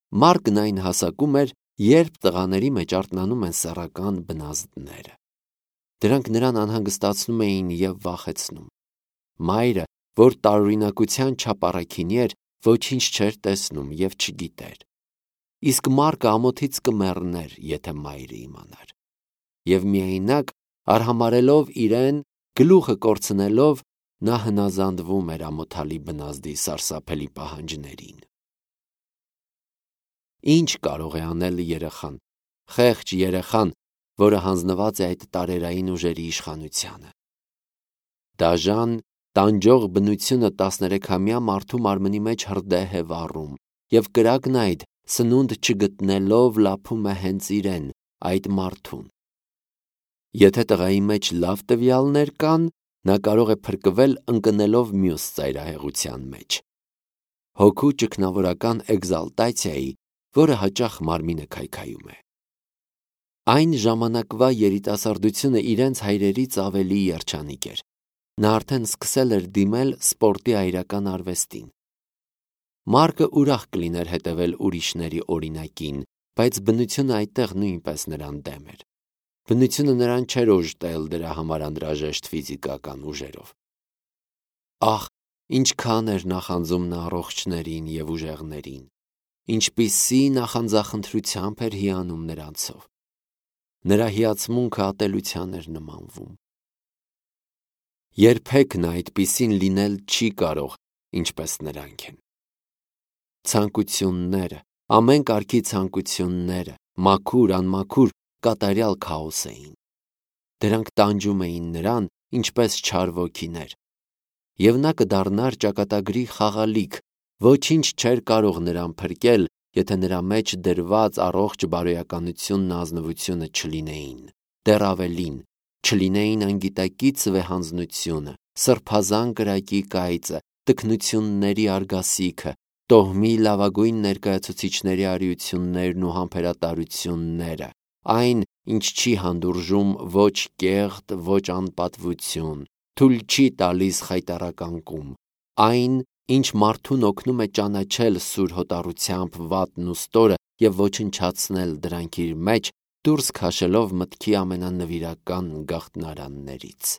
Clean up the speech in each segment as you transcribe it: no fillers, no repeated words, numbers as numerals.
Մարկն այն հասակում էր, երբ տղաների մեջ արթնանում են սեռական բնազդները։ Դրանք նրան անհանգստացնում էին և վախեցնում։ Մայրը, որ տարօրինակության չափ առաքինի էր, ոչինչ չէր տեսնում և չգիտեր։ Իսկ Մարկը ամոթից կմեռներ, եթե մայրը իմանար։ Եվ միայնակ, արհամարհելով իրեն, գլուխը կորցնելով, նա հնազանդվում էր ամոթալի բնազդի սարսափելի պահանջներին։ Ինչ կարող է անել երեխան, խեղճ երեխան, որը հանձնված է այդ տարերային ուժերի իշխանությանը։ Դաժան, տանջող բնությունը 13-ամյա մարդու մարմնի մեջ հրդեհ է վառում, և կրակն այդ, սնունդ չգտնելով, լափում է հենց իրեն, այդ մարդուն։ Եթե տղայի մեջ լավ տվյալներ կան, նա կարող է փրկվել ընկնելով մյուս ծայրահեղության մեջ։ Հոգու ճգնավորական էգզալտացիայի, որը հաճախ մարմինը քայքայում է։ Այն ժամանակվա երիտասարդությունը իրենց հայրերից ավելի երջանիկ էր։ Նա արդեն սկսել էր դիմել սպորտի այրական արվեստին։ Մարկը ուրախ կլիներ հետևել ուրիշների օրինակին, բայց բնությունը այդտեղ նույնպես նրան դեմ էր։ Բնությունը նրան չէր օժտել դրա համար անհրաժեշտ ֆիզիկական ուժերով։ Ահ, ինչքան էր նախանձում նա առողջներին և ուժեղներին, ինչպիսի նախանձախնդրությամբ էր հիանում նրանցով։ Նրա հիացմունքը ատելության էր նմանվում։ Երբեք նա այդպիսին լինել չի կարող, ինչպես նրանք են։ Ցանկությունները, ամեն կարգի ցանկությունները, մաքուր, անմաքուր, կատարյալ քաոս էին։ Դրանք տանջում էին նրան, ինչպես չար ոգիներ։ Եվ նա կդառնար ճակատագրի խաղալիք, ոչինչ չէր կարող նրան փրկել, եթե նրա մեջ դրված առողջ բարոյականությունն ու ազնվությունը չլինեին, դեռ ավելին, չլինեին անգիտակից վեհանձնությունը, սրբազան կրակի կայծը, տքնությունների արգասիքը, տոհմի լավագույն ներկայացուցիչների արիություններն ու համբերատարությունները, այն, ինչ չի հանդուրժում ոչ կեղտ, ոչ անպատվություն, թույլ չի տալիս խայտառականկում, այն, ինչ մարդուն օգնում է ճանաչել սուր հոտառությամբ վատն ու ստորը և ոչնչացնել դրանք իր մեջ, դուրս քաշելով մտքի ամենանվիրական գաղտնարաններից։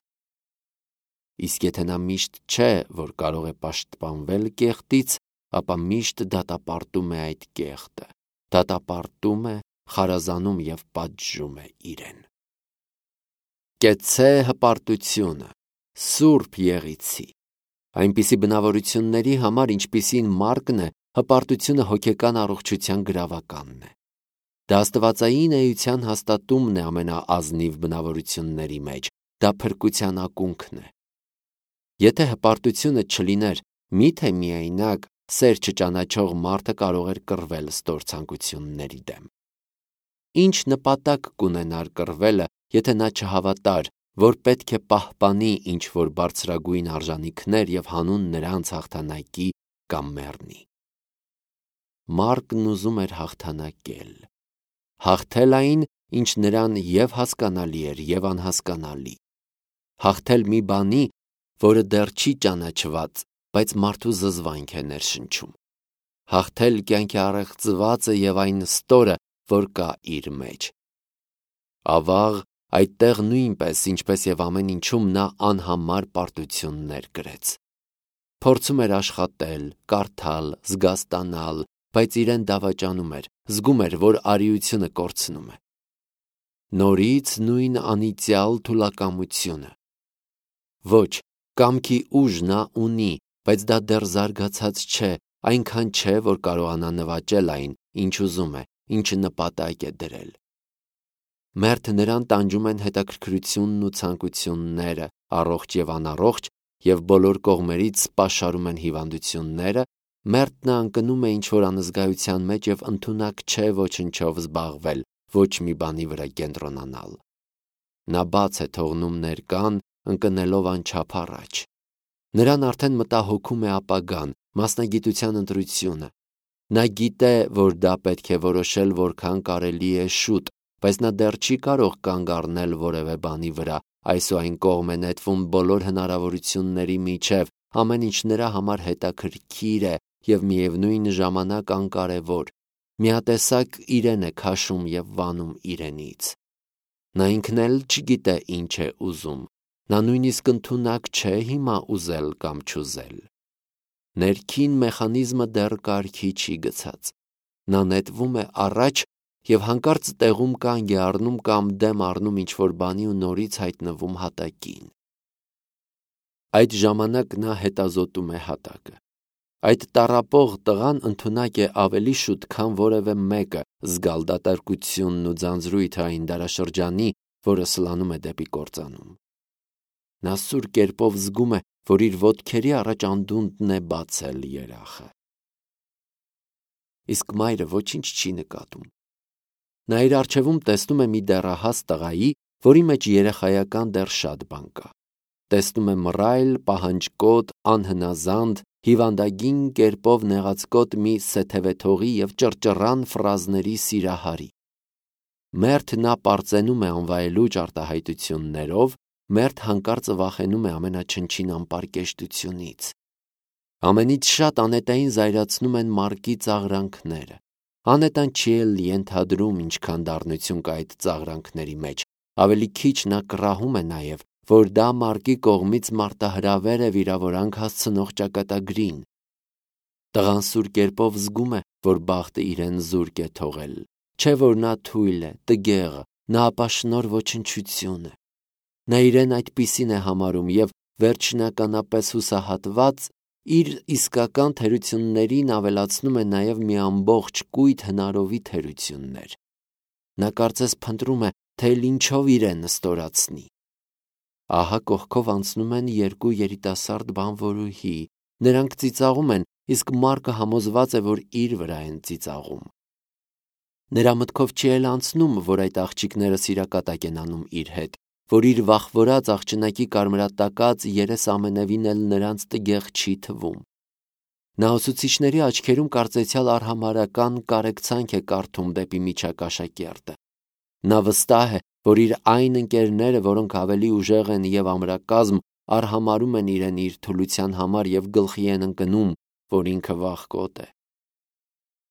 Իսկ եթե նա միշտ չէ, որ կարող է պաշտպանվել կեղտից, ապա միշտ դատապարտում է այդ կեղտը, դատապարտում է, խարազանում և պատժում է իրեն։ Կեցցե հպարտությունը, սուրբ եղիցի։ Այնպիսի բնավորությունների համար, ինչպիսին Մարկն է, հպարտությունը հոգեկան առողջության գրավականն է։ Դա աստվածային էության հաստատումն է ամենաազնիվ բնավորությունների մեջ, դա փրկության ակունքն է։ Եթե հպարտությունը չլիներ, միթե միայնակ սեր չճանաչող մարդը կարող էր կռվել ստոր ցանկությունների դեմ։ Ինչ նպատակ կունենար կռվելը, եթե նա չհավատար, որ պետք է պահպանի ինչ-որ բարձրագույն արժանիքներ և հանուն նրանց հաղթանակի կամ մեռնի։ Մարկն ուզում էր հաղթանակել։ Հաղթել այն, ինչ նրան և հասկանալի էր, և անհասկանալի։ Հաղթել մի բանի, որը դեռ չի ճանաչված, բայց մարդու զզվանք է ներշնչում։ Հաղթել կյանքի առեղծվածը և այն ստորը, որ կա իր մեջ։ Ավաղ, այդտեղ նույնպես, ինչպես և ամեն ինչում, նա անհամար պարտություններ կրեց։ Փորձում էր աշխատել, կարդալ, զգաստանալ, բայց իրեն դավաճանում էր, զգում էր, որ արիությունը կորցնում է։ Նորից նույն անիծյալ թուլակամությունը։ Ոչ, կամքի ուժ նա ունի, բայց դա դեռ զարգացած չէ, այնքան չէ, որ կարողանա նվաճել այն, ինչ ուզում է, ինչը նպատակ է դրել։ Մերթ նրան տանջում են հետաքրքրությունն ու ցանկությունները, առողջ և անառողջ, և բոլոր կողմերից պաշարում են հիվանդությունները, մերթն ընկնում է ինչ-որ անզգայության մեջ և ընդունակ չէ ոչնչով զբաղվել, ոչ մի բանի վրա կենտրոնանալ։ Նա բաց է թողնում ներկան, ընկնելով անչափ առաջ։ Նրան արդեն մտահոգում է ապագան, մասնագիտության ընտրությունը։ Նա գիտե, որ դա պետք է որոշել որքան կարելի է շուտ, բայց նա դեռ չի կարող կանգ առնել որևէ բանի վրա, այս ու այն կողմ է նետվում բոլոր հնարավորությունների միջև, ամեն ինչ նրա համար հետաքրքիր է և միևնույն ժամանակ անկարևոր։ միատեսակ իրեն է քաշում եւ վանում իրենից։ Նա ինքն էլ չգիտե ինչ է ուզում, նա նույնիսկ ընդունակ չէ հիմա ուզել կամ չուզել։ Ներքին մեխանիզմը դեռ կարգի չի գցած, նա նետվում է առաջ եւ հանկարծ տեղում կանգ է առնում կամ դեմ առնում ինչ-որ բանի ու նորից հայտնվում հատակին։ Այդ ժամանակ նա հետազոտում է հատակը։ Այդ տառապող տղան ընդունակ է ավելի շուտ, քան որևէ մեկը զգալ դատարկությունն ու ձանձրույթը այն դարաշրջանի, որը սլանում է դեպի կործանում։ Նա սուր կերպով զգում է, որ իր ոտքերի առաջ անդունդն է բացել երախը։ Իսկ մայրը ոչինչ չի նկատում։ Նա իր առջևում տեսնում է մի դեռահաս տղայի, որի մեջ երեխայական դեռ շատ բան կա։ Տեսնում է մռայլ, պահանջկոտ, անհնազանդ, հիվանդագին կերպով նեղացկոտ մի սեթևեթողի եւ ճռճռան ֆրազների սիրահարի։ Մերթ նա պարծենում է անվայելուչ արտահայտություններով, մերթ հանկարծ վախենում է ամենաչնչին անպարկեշտությունից։ Ամենից շատ Անետային զայրացնում են Մարկի ծաղրանքները։ Անետան չի էլ ենթադրում ինչքան դառնություն կա այդ ծաղրանքների մեջ, ավելի քիչ նա կռահում է նաև, որ դա Մարկի կողմից մարտահրավեր է վիրավորանք հասցնող ճակատագրին։ Տղան սուր կերպով զգում է, որ բախտը իրեն զուրկ է թողել, չէ որ նա թույլ է, տգեղ, նա ապաշնոր ոչնչություն է։ Նա իրեն այդպիսին է համարում եւ վերջնականապես հուսահատված իր իսկական թերություններին ավելացնում է նաև մի ամբողջ կույտ հնարովի թերություններ։ Նա կարծես փնտրում է, թե ինչով իրեն ստորացնի։ Ահա կողքով անցնում են երկու երիտասարդ բանվորուհի, նրանք ծիծաղում են, իսկ Մարկը համոզված է, որ իր վրա են ծիծաղում։ Նրա մտքով չի էլ անցնում, որ այդ աղջիկները սիրակատակ են անում իր հետ, որ իր վախվորած աղջնակի կարմրատակած երես ամենևին էլ նրանց տգեղ չի թվում։ Նա ուսուցիչների աչքերում կարծեցյալ արհամարհական կարեկցանք է կարդում դեպի միջակաշակերտը։ Նա վստահ է, որ իր այն ընկերները, որոնք ավելի ուժեղ են եւ ամրակազմ, արհամարհում են իրեն իր թուլության համար եւ գլխի են ընկնում, որ ինքը վախկոտ է։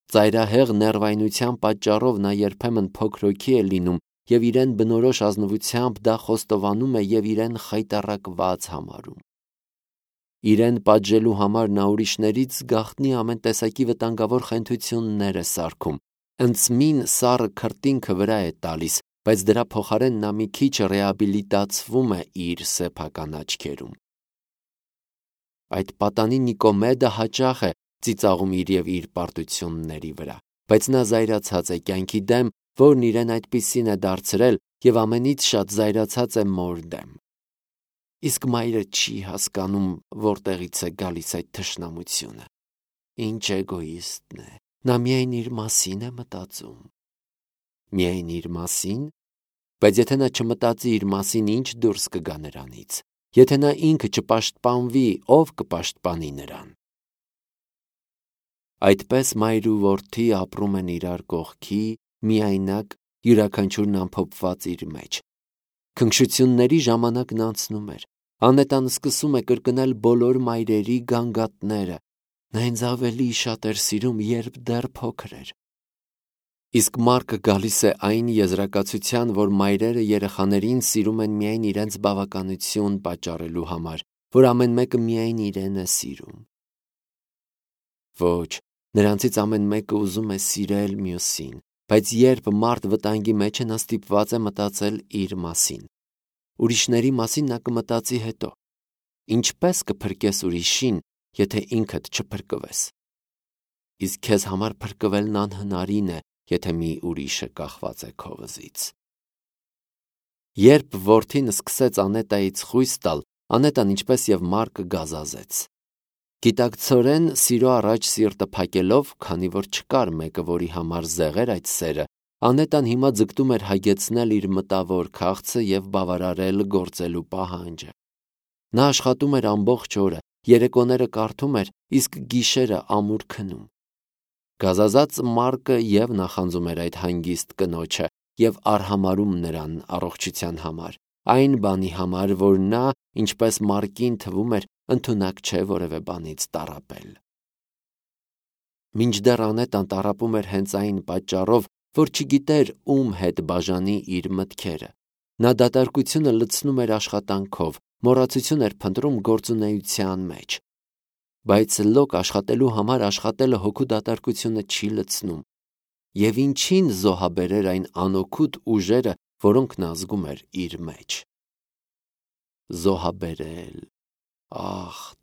Ծայրահեղ ներվայնության պատճառով նա երբեմն փոքրոքի է լինում եւ իրեն բնորոշ ազնվությամբ դա խոստովանում է եւ իրեն խայտառակված համարում։ Իրեն պատժելու համար նա ուրիշներից գաղտնի ամեն տեսակի վտանգավոր խենթություններ է սարքում, ընծմին սառը քրտինքը վրա է տալիս, բայց դրա փոխարեն նա մի քիչ ռեաբիլիտացվում է իր սեփական աչքերում։ Այդ պատանի Նիկոմեդը հաճախ է ծիծաղում իր եւ իր պարտությունների վրա, բայց նա զայրացած է կյանքի դեմ, որն իրեն այդպիսին է դարձրել եւ ամենից շատ զայրացած է մոր դեմ։ Իսկ մայրը չի հասկանում, որտեղից է գալիս այդ թշնամությունը։ Ինչ էգոիստ է, նա միայն իր մասին է մտածում։ Միայն իր մասին, բայց եթե նա չմտածի իր մասին, ինչ դուրս կգա նրանից։ Եթե նա ինքը չպաշտպանվի, ով կպաշտպանի նրան։ Այդպես մայր ու որդի ապրում են իրար կողքի, միայնակ, յուրաքանչյուրն ամփոփված իր մեջ։ Քնքշությունների ժամանակն անցնում էր։ Անետան սկսում է կրկնել բոլոր մայրերի գանգատները։ Նա ինձ ավելի շատ էր սիրում, երբ դեռ փոքր էր։ Իսկ Մարկը գալիս է այն եզրակացության, որ մայրերը երեխաներին սիրում են միայն իրենց բավականություն պատճառելու համար, որ ամեն մեկը միայն իրեն է սիրում։ Ոչ, նրանցից ամեն մեկը ուզում է սիրել մյուսին, բայց երբ մարդ վտանգի մեջ է, նա ստիպված է մտածել իր մասին։ Ուրիշների մասին նա կմտածի հետո։ Ինչպես կփրկես ուրիշին, եթե ինքդ չփրկվես։ Իսկ քեզ համար փրկվելն անհնարին է, եթե մի ուրիշը կախված է քո վզից։ Երբ որդին սկսեց Անետայից խույս տալ, Անետան ինչպես եւ Մարկը գազազեց։ Գիտակցորեն սիրո առաջ սիրտը փակելով, քանի որ չկար մեկը, որի համար զեղեր այդ սերը, Անետան հիմա ձգտում էր հագեցնել իր մտավոր քաղցը եւ բավարարել գործելու պահանջը։ Նա աշխատում էր ամբողջ օրը, երեկոները կարդում էր, իսկ գիշերը ամուր քնում։ Գազազած Մարկը եւ նախանձում էր այդ հանգիստ կնոջը եւ արհամարհում նրան առողջության համար, այն բանի համար, որ նա, ինչպես Մարկին թվում էր, ընդունակ չէ որևէ բանից տառապել։ Մինչդեռ Անետան տառապում էր հենց այն պատճառով, որ չգիտեր ում հետ բաժանի իր մտքերը։ Նա դատարկությունը լցնում էր աշխատանքով, մոռացություն էր փնտրում գործունեության մեջ։ Բայց լոկ աշխատելու համար աշխատելը հոգու դատարկությունը չի լցնում։ Եվ ինչին զոհաբերեր այն անօգուտ ուժերը, որոնք նա զգում էր իր մեջ։ Զոհաբերել,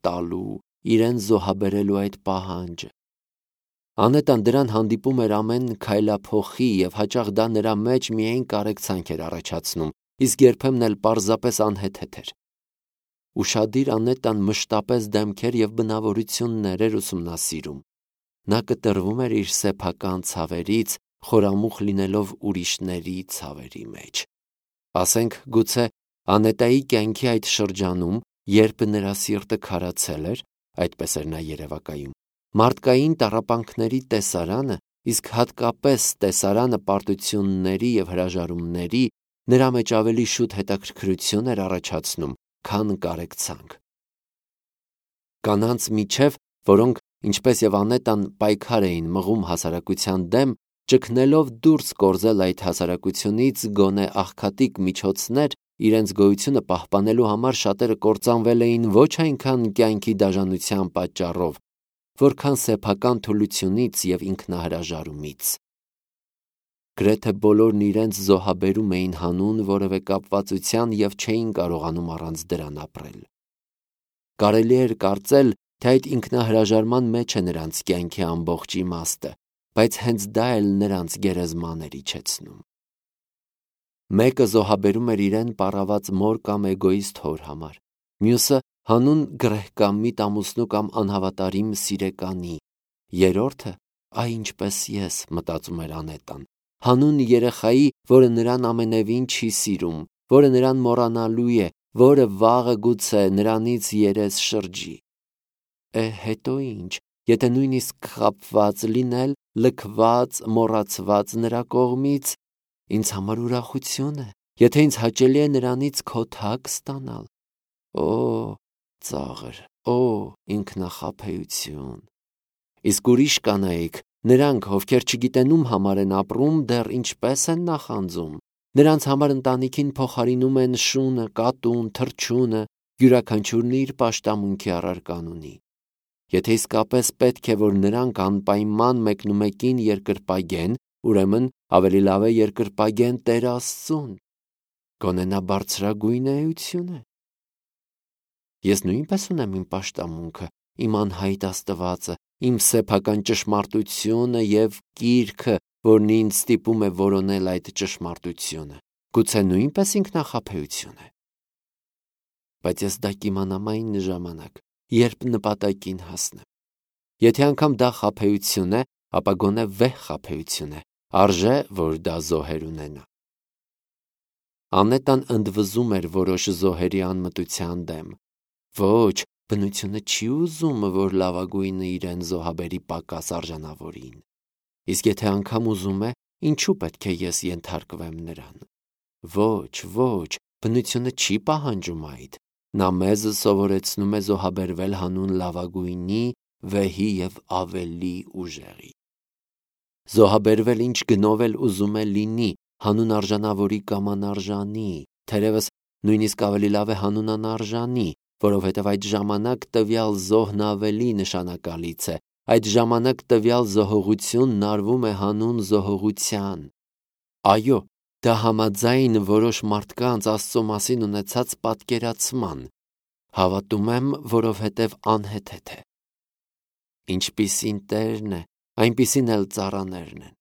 տալու, իրեն զոհաբերելու այդ պահանջը։ Անետան դրան հանդիպում էր ամեն քայլափոխի և հաճախ դա նրա մեջ միայն կարեկցանք էր առաջացնում, իսկ երբեմն էլ պարզապես անհեթեթ էր։ Ուշադիր Անետան մշտապես դեմքեր և բնավորություններ էր ուսումնասիրում։ Նա կտրվում էր իր սեփական ցավերից, խորամուխ լինելով ուրիշների ցավերի մեջ։ Ասենք գուցե Անետայի կյանքի այդ շրջանում, երբ նրա սիրտը քարացել էր, այդպես էր նա երևակայում, մարդկային տառապանքների տեսարանը, իսկ հատկապես տեսարանը պարտությունների և հրաժարումների, նրա մեջ ավելի շուտ հետաքրքրություն էր առաջացնում, քան կարեկցանք։ Կանանց միջև, որոնք, ինչպես և Անետան, պայքար էին մղում հասարակության դեմ, ճգնելով դուրս կորզել այդ հասարակությունից գոնե աղքատիկ միջոցներ, իրենց գոյությունը պահպանելու համար շատերը կործանվել էին ոչ այնքան կյանքի դաժանության պատճառով, որքան սեփական թուլությունից և ինքնահրաժարումից։ Գրեթե բոլորն իրենց զոհաբերում էին հանուն որևէ կապվածության և չէին կարողանում առանց դրան ապրել։ Կարելի էր կարծել, թե այդ ինքնահրաժարման մեջ է նրանց կյանքի ամբողջ իմաստը, բայց հենց դա էլ նրանց գերեզման էր իջեցնում։ Մեկը զոհաբերում էր իրեն պառաված մոր կամ էգոիստ հոր համար, մյուսը հանուն գրեհկամիտ ամուսնու կամ անհավատարիմ սիրեկանի, երրորդը, ինչպես ես, մտածում էր Անետան, հանուն երեխայի, որը նրան ամենևին չի սիրում, որը նրան մոռանալու է, որը վաղը գուցե նրանից երես շրջի։ Հետո ինչ, եթե նույնիսկ խաբված լինել, լքված, մոռացված նրա կողմից, ինձ համար ուրախություն է, եթե ինձ հաճելի է նրանից քոթակ ստանալ։ Ծաղր, ինքնախաբեություն։ Իսկ ուրիշ կանայք, նրանք, ովքեր չգիտեն ում համար են ապրում, դեռ ինչպես են նախանձում։ Նրանց համար ընտանիքին փոխարինում են շունը, կատուն, թռչունը, յուրաքանչյուրն իր պաշտամունքի առարական ունի։ Եթե իսկապես պետք է, որ նրանք անպայման մեկնումեկին երկրպագեն, ուրեմն ավելի լավ է երկրպագեն Տեր Աստծուն։ Գոնե նա բարձրագույն էություն է։ Ես նույնպես ունեմ իմ պաշտամունքը, իմ անհայտ Աստվածը, իմ սեփական ճշմարտությունը և կիրքը, որն ինձ ստիպում է որոնել այդ ճշմարտությունը։ Գուցե նույնպես ինքնախաբեություն է։ Բայց ես դա կիմանամ այն ժամանակ, երբ նպատակին հասնեմ։ Եթե անգամ դա խաբեություն է, ապա գոնե վեհ խաբեություն է, արժե, որ դա զոհեր ունենա։ Անետան ընդվզում էր որոշ զոհերի անմտության դեմ։ Ոչ, բնությունը չի ուզում, որ լավագույնը իրեն զոհաբերի պակաս արժանավորին։ Իսկ եթե անգամ ուզում է, ինչու պետք է ես ենթարկվեմ նրան։ Ոչ, բնությունը չի պահանջում այդ։ Նա մեզ սովորեցնում է զոհաբերվել հանուն լավագույնի, վեհի և ավելի ուժեղի։ Զոհաբերվել ինչ գնով էլ ուզում է լինի, հանուն արժանավորի կամ անարժանի, թերևս նույնիսկ ավելի լավ է հանուն անարժանի, որովհետև այդ ժամանակ տվյալ զոհն ավելի նշանակալից է, այդ ժամանակ տվյալ զոհողությունն արվում է հանուն զոհողության։ Այո, դա համաձայն որոշ մարդկանց Աստծո մասին ունեցած պատկերացման։ Հավատում եմ, որովհետև անհեթեթ է։ Ինչպիսին Տերն է, այնպիսին էլ ծառաներն են։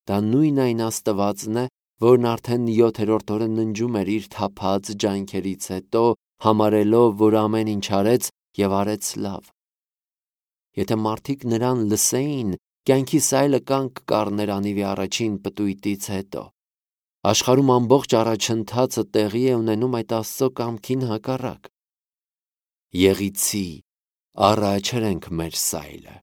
Դա նույն այն Աստվածն է, որն արդեն 7-րդ օրը ննջում էր իր թափած ջանքերից հետո, համարելով, որ ամեն ինչ արեց և արեց լավ։ Եթե մարդիկ նրան լսեին, կյանքի սայլը կանգ կառներ անիվի առաջին պտույտից հետո։ Աշխարհում ամբողջ առաջընթացը տեղի է ունենում այդ Աստծո կամքին հակառակ։ Եղիցի, առաջ հրենք մեր սայլը։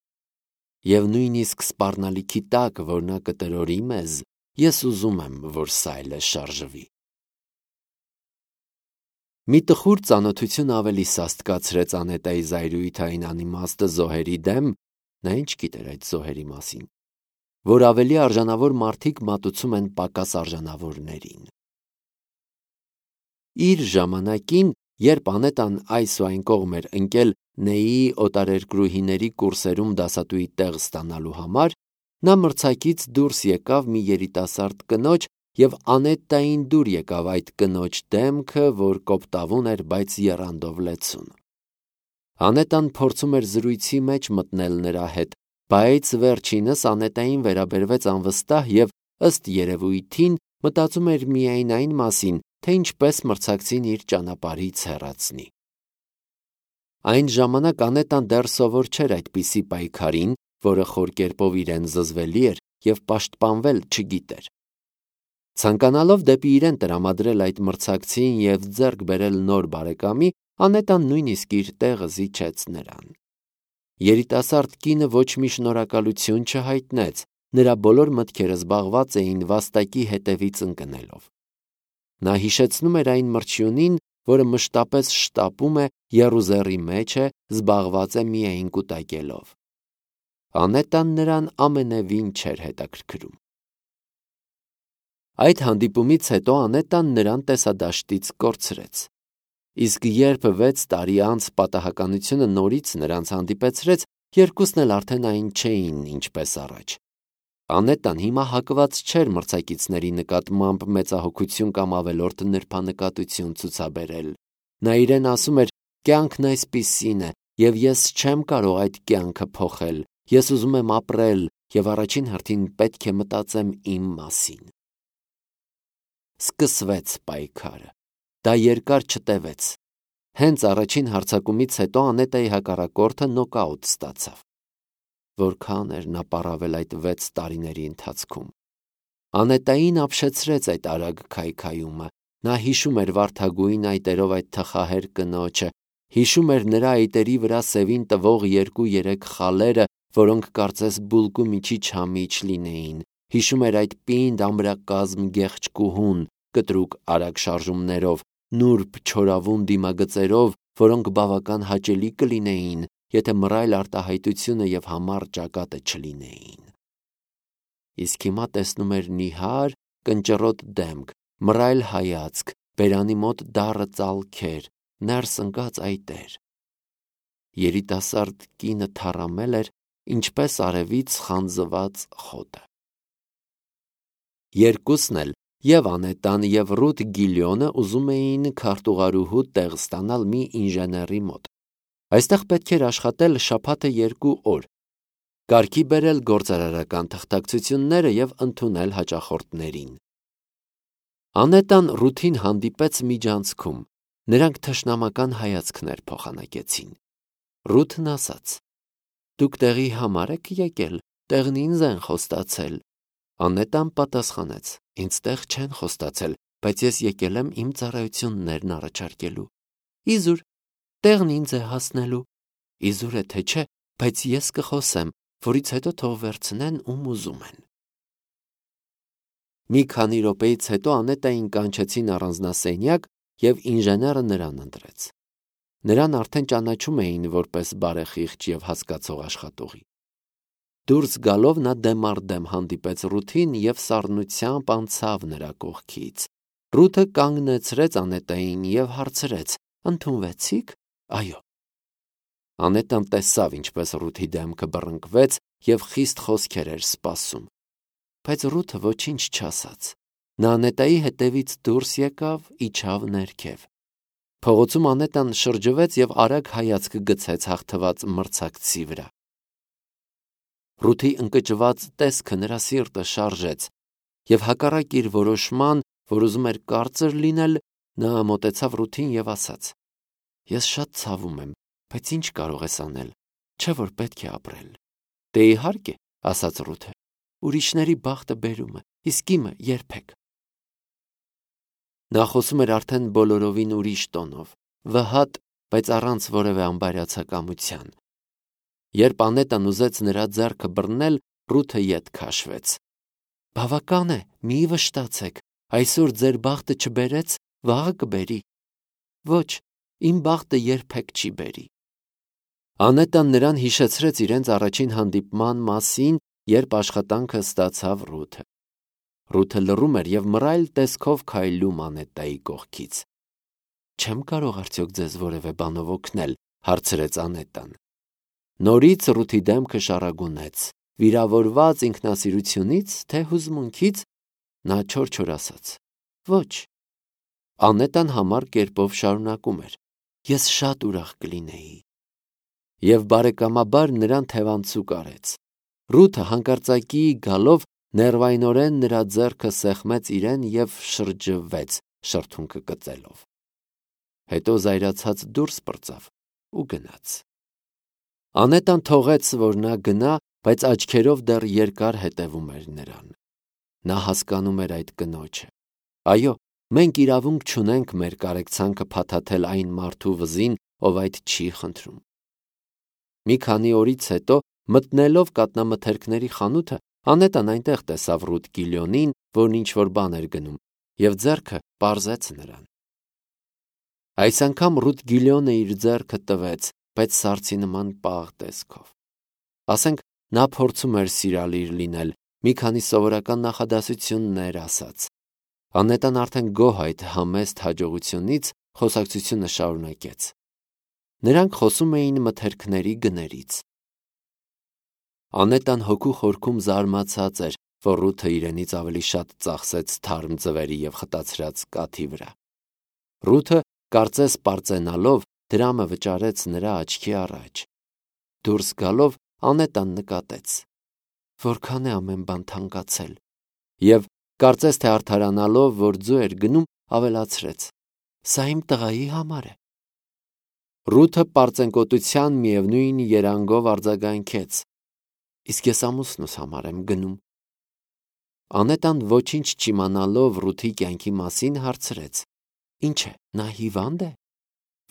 Եվ նույնիսկ սպառնալիքի տակ, որ նա կտրորի մեզ, ես ուզում եմ, որ սայլը շարժվի։ Մի տխուր ծանոթություն ավելի սաստկացրեց Անետայի զայրույթը այն անիմաստ զոհերի դեմ, Նա ինչ գիտեր այդ զոհերի մասին, որ ավելի արժանավոր մարդիկ մատուցում են պակաս արժանավորներին։ Իր ժամանակին, երբ Անետան այս ու այն կողմ էր ընկել Նեի օտարերկրուհիների կուրսերում դասատուի տեղ ստանալու համար, նա մրցակից դուրս եկավ մի երիտասարդ կնոջ և Անետային դուր եկավ այդ կնոջ դեմքը, որ կոպտավուն էր, բայց եռանդով լեցուն։ Անետան փորձում էր զրույցի մեջ մտնել նրա հետ, բայց վերջինս Անետային վերաբերվեց անվստահ և ըստ երևույթին մտածում էր միայն այն մասին, թե ինչպես մրցակցին իր ճանապարհից հեռացնի։ Այն ժամանակ Անետան դեռ սովոր չէր այդպիսի պայքարին, որը խոր կերպով իրեն զզվելի էր և պաշտպանվել չգիտեր։ Ցանկանալով դեպի իրեն տրամադրել այդ մրցակցին և ձեռք բերել նոր բարեկամի, Անետան նույնիսկ իր տեղը զիջեց նրան։ Երիտասարդ կինը ոչ մի շնորհակալություն չհայտնեց, նրա բոլոր մտքերը զբաղված էին վաստակի հետևից ընկնելով։ Նա հիշեցնում էր այն մրջյունին, որը մշտապես շտապում է, եռուզեռի մեջ է, զբաղված է միայն կուտակելով։ Անետան նրան ամենևին չէր հետաքրքրում։ Այդ հանդիպումից հետո Անետան նրան տեսադաշտից կորցրեց։ Իսկ երբ 6 տարի անց պատահականությունը նորից նրանց հանդիպեցրեց, երկուսն էլ արդեն այն չէին, ինչպես առաջ։ Անետան հիմա հակված չէր մրցակիցների նկատմամբ մեծահոգություն կամ ավելորդ նրբանկատություն ցուցաբերել։ Նա իրեն ասում էր. «Կյանքն այսպիսին է, և ես չեմ կարող այդ կյանքը փոխել։ Ես ուզում եմ ապրել և առաջին հերթին պետք է մտածեմ իմ մասին»։ Սկսվեց պայքարը։ Դա երկար չտևեց։ Հենց առաջին հարձակումից հետո Անետայի հակառակորդը նոկաուտ ստացավ։ Որքան էր նա պառավել այդ 6 տարիների ընթացքում։ Անետային ապշեցրեց այդ արագ քայքայումը։ Նա հիշում էր վարդագույն այտերով այդ թխահեր կնոջը, հիշում էր նրա այտերի վրա սևին տվող 2-3 խալերը, որոնք կարծես բուլկու միջի-չամիչ լինեին, հիշում էր այդ պինդ ամրակազմ գեղեցկուհուն, կտրուկ արագ շարժումներով, նուրբ չորավուն դիմագծերով, որոնք բավական հաճելի կլինեին, եթե մռայլ արտահայտությունը և համառ ճակատը չլինեին։ Իսկ հիմա տեսնում էր նիհար, կնճռոտ դեմք, մռայլ հայացք, բերանի մոտ դառը ծալքեր, ներս ընկած այտեր։ Երիտասարդ կինը թառամել էր, ինչպես արևից խանձված խոտը։ Երկուսն էլ, և Անետան, և Ռութ Գիլյոնը ուզում էին քարտուղարուհու տեղ ստանալ մի ինժեների մոտ։ Այստեղ պետք էր աշխատել շաբաթը 2 օր, կարգի բերել գործարարական թղթակցությունները և ընդունել հաճախորդներին։ Անետան Ռութին հանդիպեց միջանցքում։ Նրանք թշնամական հայացքներ փոխանակեցին։ Ռութն ասաց. «Դուք տեղի համար եք եկել, տեղն ինձ են խոստացել»։ Անետան պատասխանեց. «Ինձ տեղ չեն խոստացել, բայց ես եկել եմ իմ ծառայություններն առաջարկելու»։ «Իզուր, տեղն ինձ է հասնելու»։ «Իզուր է թե չէ, բայց ես կխոսեմ, որից հետո թող վերցնեն ում ուզում են»։ Մի քանի րոպեից հետո Անետային կանչեցին առանձնասենյակ, և ինժեները նրան ընտրեց։ Նրան արդեն ճանաչում էին որպես բարեխիղճ և հասկացող աշխատողի։ Դուրս գալով նա դեմ առ դեմ հանդիպեց Ռութին և սառնությամբ անցավ նրա կողքից։ Ռութը կանգնեցրեց Անետային և հարցրեց. «Ընդունվեցի՞ք»։ «Այո»։ Անետան տեսավ, ինչպես Ռութի դեմքը բռնկվեց և խիստ խոսքեր էր սպասում։ Բայց Ռութը ոչինչ չասաց։ Նա Անետայի հետևից դուրս եկավ, իջավ ներքև։ Փողոցում Անետան շրջվեց և արագ հայացք գցեց հաղթված մրցակցի վրա։ Ռութի ընկճված տեսքը նրա սիրտը շարժեց, և հակառակ իր որոշման, որ ուզում էր կարծր լինել, նա մոտեցավ Ռութին և ասաց. «Ես շատ ցավում եմ, բայց ինչ կարող ես անել, չէ՞ որ պետք է ապրել»։ «Դե իհարկե», ասաց Ռութը, «ուրիշների բախտը բերում է, իսկ իմը երբեք»։ Նա խոսում էր արդեն բոլորովին ուրիշ տոնով, վհատ, բայց առանց որևէ անբարյացակամության։ Երբ Անետան ուզեց նրա ձեռքը բռնել, Ռութը ետ քաշվեց։ «Բավական է, մի վշտացեք, այսօր ձեր բախտը չբերեց, վաղը կբերի»։ «Ոչ, իմ բախտը երբեք չի բերի»։ Անետան նրան հիշեցրեց իրենց առաջին հանդիպման մասին, երբ աշխատանքը ստացավ Ռութը։ Ռութը լռում էր և մռայլ տեսքով քայլում Անետայի կողքից։ «Չեմ կարող արդյոք ձեզ որևէ բանով օգնել», հարցրեց Անետան։ Նորից Ռութի դեմքը շառագունեց, վիրավորված ինքնասիրությունից, թե հուզմունքից, նա չոր-չոր ասաց. «Ոչ»։ Անետան համառ կերպով շարունակում էր. «Ես շատ ուրախ կլինեի»։ Եվ բարեկամաբար նրան թևանցուկ արեց։ Ռութը հանկարծակի գալով ներվայնորեն նրա ձեռքը սեղմեց իրեն և շրջվեց, շրթունքը կծելով։ Հետո զայրացած դուրս պրծավ ու գնաց։ Անետան թողեց, որ նա գնա, բայց աչքերով դեռ երկար հետևում էր նրան։ Նա հասկանում էր այդ կնոջը։ Այո, մենք իրավունք չունենք մեր կարեկցանքը փաթաթել այն մարդու վզին, ով այդ չի խնդրում։ Մի քանի օրից հետո, մտնելով կատնամթերքների խանութը, Անետան այնտեղ տեսավ Ռութ Գիլյոնին, որն ինչ-որ բան էր գնում, և ձեռքը պարզեց նրան։ Այս անգամ Ռութ Գիլյոնը իր ձեռքը տվեց, բայց սառցի նման պաղ տեսքով։ Ասենք նա փորձում էր սիրալիր լինել, մի քանի սովորական նախադասություններ ասաց։ Անետան արդեն գոհ այդ համեստ հաջողությունից խոսակցությունը շարունակեց։ Նրանք խոսում էին մթերքների գներից։ Անետան հոգու խորքում զարմացած էր, որ Ռութը իրենից ավելի շատ ծախսեց թարմ ձվերի և խտացրած կաթի վրա։ Ռութը, կարծես պարծենալով, դրամը վճարեց նրա աչքի առաջ։ Դուրս գալով Անետան նկատեց. որքան է ամեն բան թանկացել, և, կարծես թե արդարանալով, որ ձու էր գնում, ավելացրեց. սա իմ տղայի համար է։ Ռութը պարծենկոտության միևնույն երանգով արձագանքեց. իսկ ես ամուսնուս համար եմ գնում։ Անետան ոչինչ չիմանալով Ռութի կյանքի մասին հարցրեց. ինչ է, նա հիվա՞նդ է։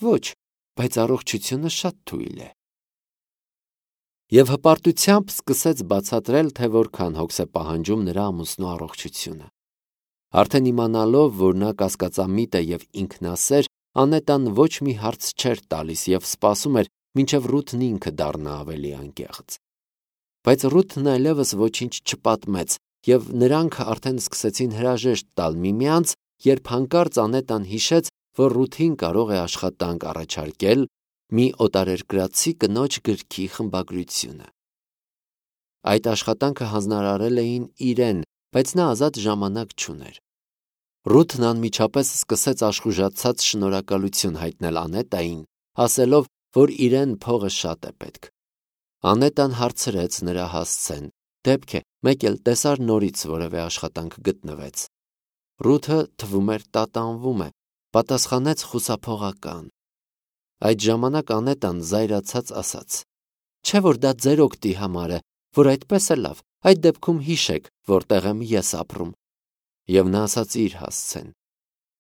Ոչ, բայց առողջությունը շատ թույլ է։ Եվ հպարտությամբ սկսեց բացատրել, թե որքան հոգս է պահանջում նրա ամուսնու առողջությունը։ Արդեն իմանալով, որ նա կասկածամիտ է և ինքնասեր, Անետան ոչ մի հարց չէր տալիս և սպասում էր, մինչև Ռութն ինքը դառնա ավելի անկեղծ։ Բայց Ռութն այլևս ոչինչ չպատմեց, և նրանք արդեն սկսեցին հրաժեշտ տալ միմյանց, երբ հանկարծ Անետան հիշեց, որ Ռութին կարող է աշխատանք առաջարկել մի օտարերկրացի կնոջ գրքի խմբագրությունը։ Այդ աշխատանքը հանձնարարել էին իրեն, բայց նա ազատ ժամանակ չուներ։ Ռութն անմիջապես սկսեց աշխուժացած շնորհակալություն հայտնել Անետային, ասելով, որ իրեն փողը շատ է պետք։ Անետան հարցրեց նրա հասցեն, դեպք է, մեկ էլ տեսար նորից որևէ աշխատանք գտնվեց։ Ռութը, թվում էր, տատանվում է, պատասխանեց խուսափողական։ Այդ ժամանակ Անետան զայրացած ասաց. չէ՞ որ դա ձեր օգտի համար է, որ այդպես է լավ, այդ դեպքում հիշեք, որտեղ եմ ես ապրում։ Եվ նա ասաց իր հասցեն։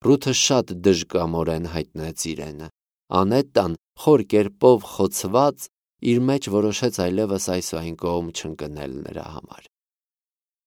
Ռութը շատ դժկամորեն հայտնեց իրենը։ Անետան, խոր կերպով խոցված, իր մեջ որոշեց այլևս այս ու այն կողմ չընկնել նրա համար։